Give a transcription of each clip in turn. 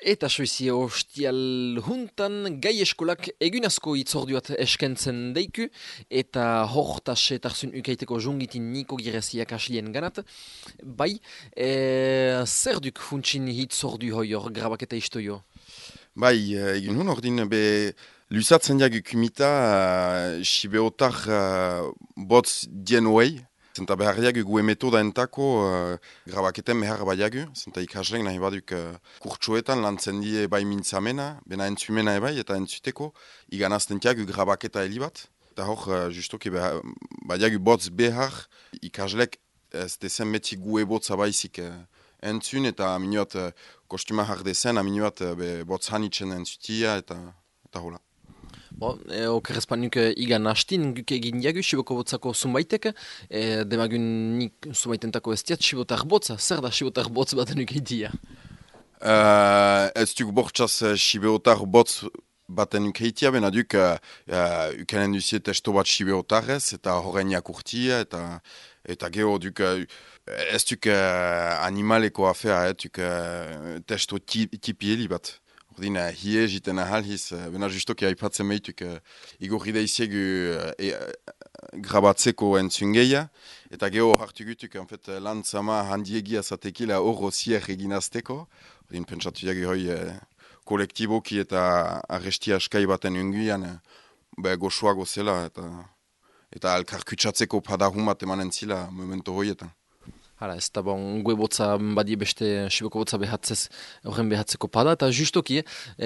Eta soizie ostial juntan gai eskolak egunazko itzorduat eskentzen deiku eta hortas etarzun ukaiteko jungitin niko gireziak aslien ganat. Bai, zer duk funtsin hitzordu hoior grabaketa istoio? Bai, egin hun ordin be lusatzen jagu kumita sibeotar botz dien hoei. Zenta behar jagu gue metoda entako grabaketen behar baiagu. Zenta ikaslen nahi baduk kurtsuetan lantzen die bai mintzamena, bena entzumena ebai eta entzuteko iganazten jagu grabaketa helibat. Eta hor, justoki baiagu botz behar ikaslek ez dezen beti gue botza baizik entzun eta minuat kostuma jardezen, minuat botz hanitzen entzutia eta hola. Bon, okerrezpanuk igan hastin guk egin jagu siboko botzako zumbaitek, demagun nik zumbaitentako ez diat sibotar botza, zer da sibotar botz baten ukeitia? Ez duk bortxaz sibeotar botz baten ukeitia, bena duk ukanen duzie testo bat sibeotarrez eta horrein jakurtia eta geho duk ez duk animaleko afea, duk testo tipi heli bat. Ordin, hie jiten ahalhiz, bena justoki haipatzen meituk igorri daiziegu grabatzeko entzungeia, eta geho hartu gutuk, lan zama handiegia zatekila horro zier eginazteko. Ordin, pentsatu jagu hoi kolektiboki eta arrestia askai baten unguian goxoago zela, eta alkarkutsatzeko padahun bat emanen zila momento hoietan. Hala, ez da bon, gue botza badie beste siboko botza behatzez, horren behatzeko pada, eta justoki,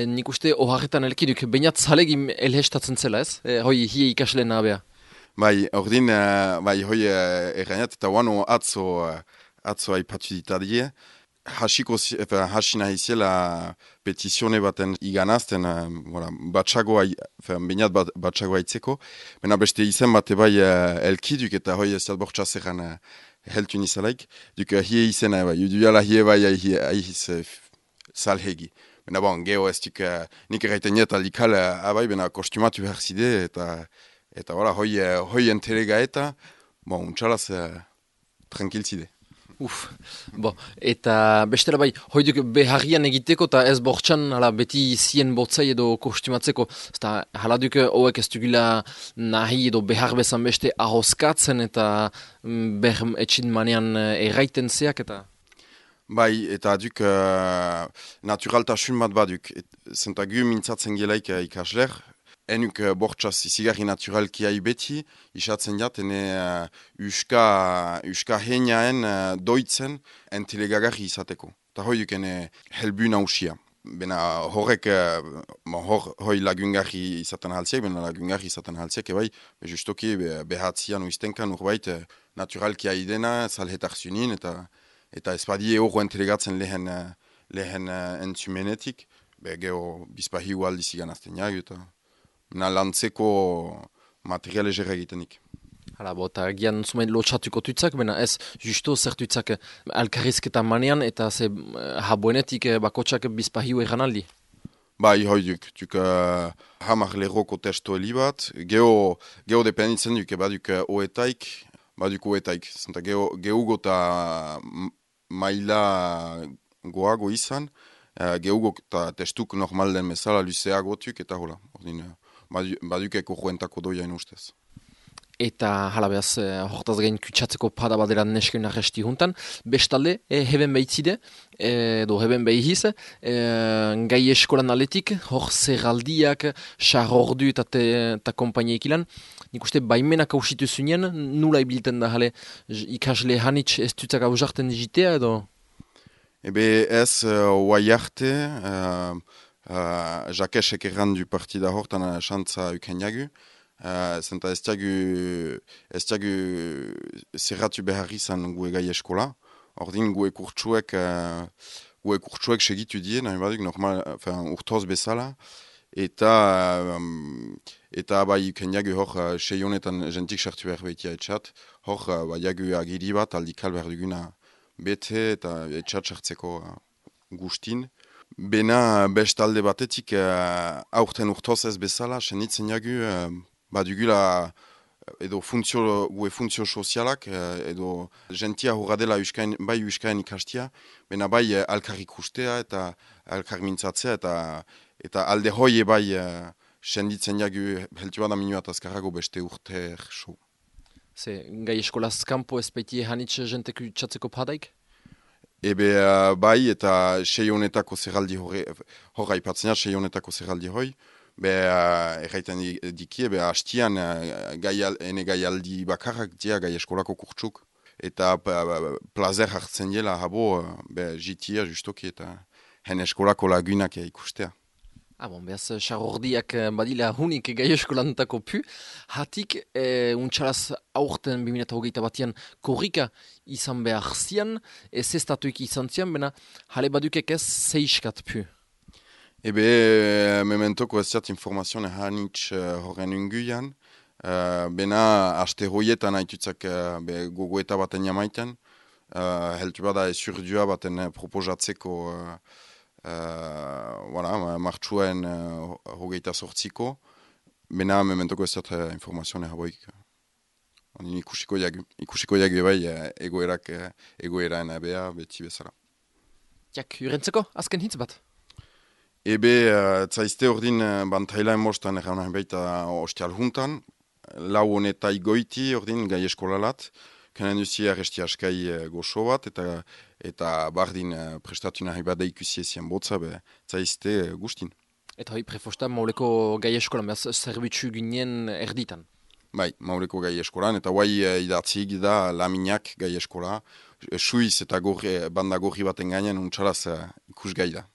nik uste oharretan elkiduk, bainat zalegim elhestatzen zela ez? Hoi, hie ikasleen nabea. Bai, ordin, bai, hoi errainat, eta wano atzo aipatu ditadie, hasi nahi zela petizione baten iganazten, batxagoa, bainat batxagoa itzeko, bena beste izen bate bai elkiduk, eta hoi ez bortxa zerran heltu nizalaik, duk hie izena bai, juduala hie bai aihiz salhegi. Bena bon, geho ez duk nik erraiten niet aldikal abai, bena kostumatu behar zide, eta hoi entelega eta, bon, untxalaz tranquil zide. Bo, eta bestela bai, hoi duk beharrian egiteko eta ez bortxan beti zien botzai edo kostumatzeko. Eta hala duk hoek ez dugula nahi edo behar bezan beste ahoskatzen eta etxin manean erraiten zeak eta... Bai, eta duk naturaltasun bat baduk. Zenta gu mintzatzen gelaik ikasler, enuk bortxaz izigarri naturalki hai beti, isatzen jat, ene uska heinaen doitzen entelegagarri izateko. Eta hoi duk ene helbu nausia. Bena horrek, hoi lagungarri izaten haltziak, bena lagungarri izaten haltziak, ebai, justoki behatzian uiztenkan urbait naturalki hai dena, salhetarzunin, eta ez badie horro entelegatzen lehen entzumenetik, geho bizpahiu aldiz iganazten jagu, eta lantzeko material egerra egitenik. Hala, eta gian zumain lotxatuko tutzak, bena ez justo zertutzak alkarrizketa manean eta ze habuenetik bakotsak bizpahiu egan aldi. Bai, hoi duk hamar lerroko testo heli bat, geho dependitzen duk, baduk oetaik, zenta gehugo eta maila goago izan, gehugo eta testuk normal den bezala luzeago tuk, eta hola, badukeko joentako doiain ustez. Eta hala behaz, hortaz gain kutsatzeko pada badera nesken arresti juntan. Bestalde, heben behitzide, edo heben behiz, gai eskolan aletik, hor zerraldiak, xarordu eta kompainia ikilan. Nik uste baimenak hausitu zunien, nula ibilten da jale ikasle hanitz ez dutzak hausarten digitea edo? Ebe ez, oai arte, jakesek errandu partida hortan xantza uken jagu. Zenta ez diagu zerratu behar izan gue gai eskola. Ordin gue kurtsuek segitu die, nahi baduk normal, urtoz bezala. Eta bai uken jagu hor seionetan jentik sartu behar behitia etxat. Hor jagu agiri bat aldikal behar duguna bete eta etxat sartzeko gustin. Bena bestalde batetik aurten urtoz ez bezala, senitzen jagu badugula edo funtzio sozialak, edo jentia horra dela bai uskaen ikastia, bena bai alkarrik ustea eta elkar mintzatzea, eta alde hoi ebai senditzen jagu heltu bada minuat azkarrago beste urte so. Ze, gai eskolaz kanpo ez baitie hanitz jentek utxatzeko padaik? Ebe bai, eta 6 honetako zerraldi horra ipatzena, 6 honetako zerraldi hoi, erraiten diki, hastian ene gaialdi bakarrak dia gai eskolako kurtsuk, eta plazer hartzen dela habo, jitia justoki eta hen eskolako lagunak ikustea. Behaz, xarordiak badila hunik gai eskolantako pu. Hatik, untxalaz aurten 2021 batian korrika izan behar zian, ez estatuik izan zian, bena jale badukek ez zeiskat pu. Mementoko ez zat informazioa hanitz horren unguian, bena aste hoietan haitutzak gogoeta baten jamaiten, heltu bada ez urdua baten proposatzeko martxuen hogeita sortziko, bena mementoko ez zat informazioa haboik. Ikusiko jagu bai egoeraen abea beti bezala. Jak, jurentzeko, azken hitz bat? Zaizte ordin bantailaen mostan erran baita ostial juntan, lau honetai goiti ordin gai eskolalat, kanen duzi arresti askai goxo bat, eta bardin prestatu nahi bada ikusi ezien botza, zaizte gustin. Eta hoi prefosta mauleko gai eskolan, behaz zerbitzu ginen erditan? Bai, mauleko gai eskolan, eta guai idatzik da laminak gai eskola, suiz eta banda gorri baten gainean untxalaz ikus gai da.